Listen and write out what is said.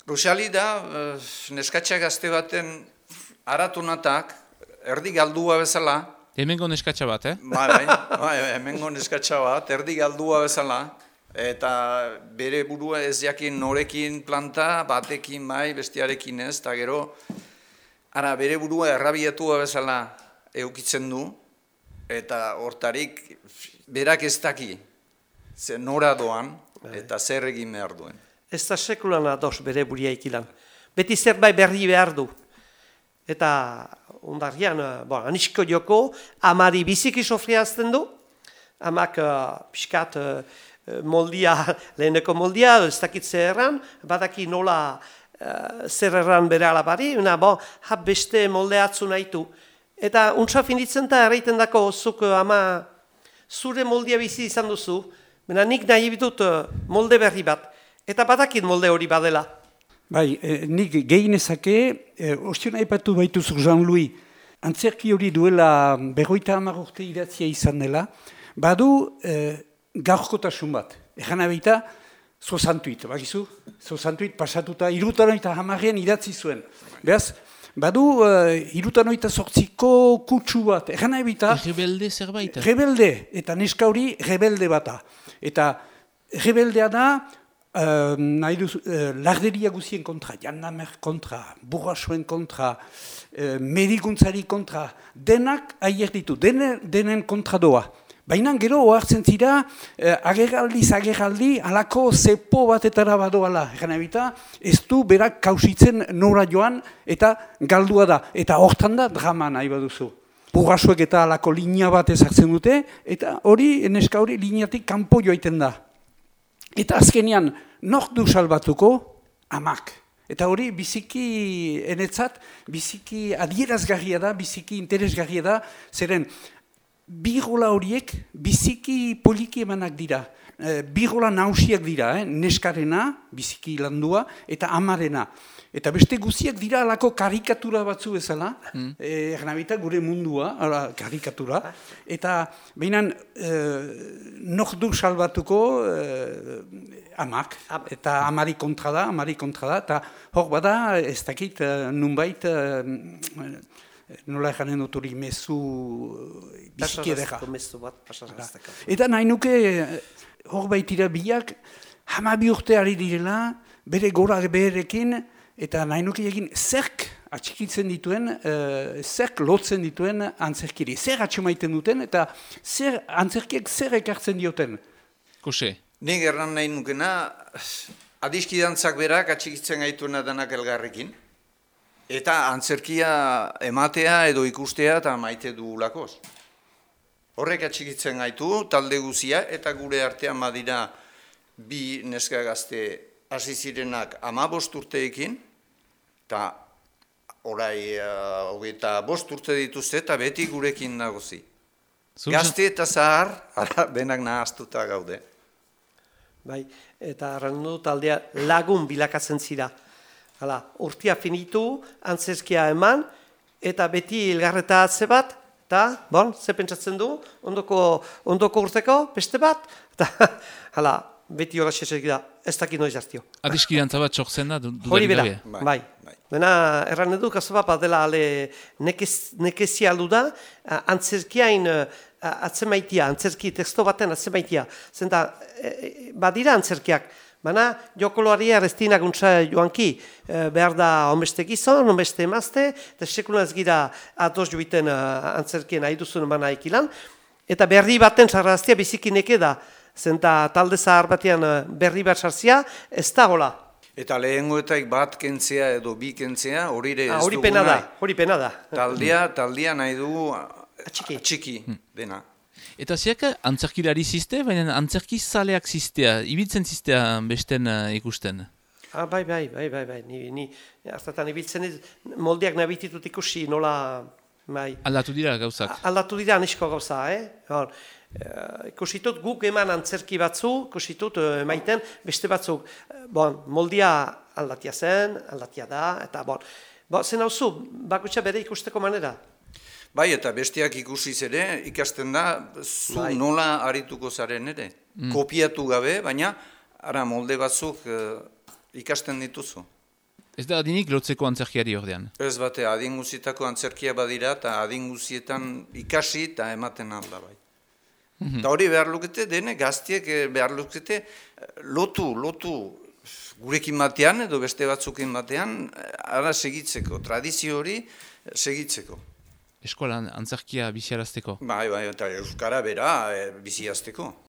Rusali da, neskatxa gazte baten aratunatak, erdi galdua bezala. Hemengo neskatxa bat, Bai, hemengo neskatxa bat, erdi galdua bezala. Eta bere burua ez jakin norekin planta, batekin bai, bestiarekin ez, eta gero, bere burua errabietua bezala eukitzen du, eta hortarik berak ez daki, nora doan, eta zer egin behar duen. Ez da sekulan ados bere buria ikilan. Beti zerbait berri behar du. Eta ondarrian, anisko joko, amari biziki sofriazten du, amak pixkat moldia, leheneko moldia, ez dakit zer erran, badaki nola zer erran bere alabari, beste molde atzu nahitu. Eta untsa finitzen da erraiten dako, zuk ama zure moldia bizi izan duzu, baina nik nahi bitut molde berri bat. Eta badakit molde hori badela. Bai, nik gehinezake, ostion aipatu baituzu Jean-Louis, antzerki hori duela 50 urte idatzia izan dela, badu gaurkotasun bat. Egan abita, 68, bakizu? 68 pasatuta, 78 idatzi zuen. Beraz, badu 78ko kutsu bat. Egan abita... Rebelde zerbait? Rebelde, eta neska hori rebelde bata. Eta rebeldea da, larderia guzien kontra, jandamer kontra, burrasoen kontra, medikuntzari kontra, denak aier ditu, denen kontra doa. Baina gero ohartzen zira, ageraldi, alako zepo batetara badoala. Egan ebita, ez du berak kausitzen nora joan eta galdua da. Eta hortan da drama nahi baduzu. Burrasoek eta alako linea bat ezartzen dute, eta hori, neska hori, lineatik kanpo joaiten da. Eta azkenean, nork du salbatuko? Amak. Eta hori biziki enetzat, biziki adierazgarria da, biziki interesgarria da, zeren bigola horiek biziki poliki emanak dira. Bigola nausiak dira, neskarena, biziki landua, eta amarena. Eta beste guziak dira alako karikatura batzu bezala, ernabita gure mundua, karikatura, eta behinan nok du salbatuko amak, eta amari kontra da, eta hor bada ez dakit nunbait, nola eganen dut hori mezu biziki edera. Eta nahi nuke hor baitira biak, 12 urte ari direla, bere gora beherekin, eta nahi nuke egin zerk atxikitzen dituen, zerk lotzen dituen antzerkiri. Zer atxemaiten duten eta zer antzerkiek zer ekartzen dioten. Kose? Nik erran nahi nukena, adiskidantzak berak atxikitzen gaituena denak elgarrekin. Eta antzerkia ematea edo ikustea eta maite dugulakoz. Horrek atxikitzen gaitu, talde guzia, eta gure artean badira bi neska gazte hasi zirenak 15 urteekin, eta orai 25 urte dituzte eta beti gurekin nagozi. Gazte eta zahar, benak nahaztuta gaude. Bai, eta arrandu taldea lagun bilakatzen zira. Hala, urtia finitu, antzerkia eman, eta beti elgarreta atze bat, eta, ze pentsatzen du, ondoko urteko, beste bat, eta, hala, beti hola xesek da, ez dakit noiz hartio. Adiskidantza bat txokzen da, hori bera, bai. Dena, erran edu, kaso bat dela nekezia aldu da, antzerkiain atzemaitia, antzerki teksto baten atzemaitia. Zenta, badira antzerkiak, baina jokoloaria erreztinak untsa joanki, behar da onbeste gizon, onbeste emazte, eta sekulan ez gira atos joiten antzerkien nahi duzun emana ikilan, eta berri baten sarraztia bizikineke da, zenta talde zahar batean berri bat sarzia, ez da hola. Eta lehengoetaik bat kentzea edo bi kentzea, hori ere ez dugu nahi. Hori pena da. Taldea nahi dugu atxiki dena. Eta ziak antzerkilari ziste, baina antzerki zaleak zistea, ibiltzen zistea besten ikusten? Bai. Ni hartatan ibiltzen moldeak nabititut ikusi nola... Aldatu dira gauzak? Aldatu dira anisko gauza, ikusitut guk eman antzerki batzu, ikusitut emaiten beste batzuk. Moldia aldatia zen, aldatia da, eta zen hau zu, bakutsa bere ikusteko manera. Bai, eta besteak ikusiz ere, ikasten da, zu nola arituko zaren ere. Kopiatu gabe, baina, molde batzuk ikasten dituzu. Ez da adinik lotzeko antzerkiari ordean. Ez bate, adin guzietako antzerkia badira, eta adin guzietan ikasi eta ematen alda bai. Eta hori behar lukete, dene gaztiek behar lukete lotu gurekin batean edo beste batzukin batean, ara segitzeko, tradizio hori segitzeko. Eskolan antzerkia biziarazteko. Bai, eta euskara bera biziazteko.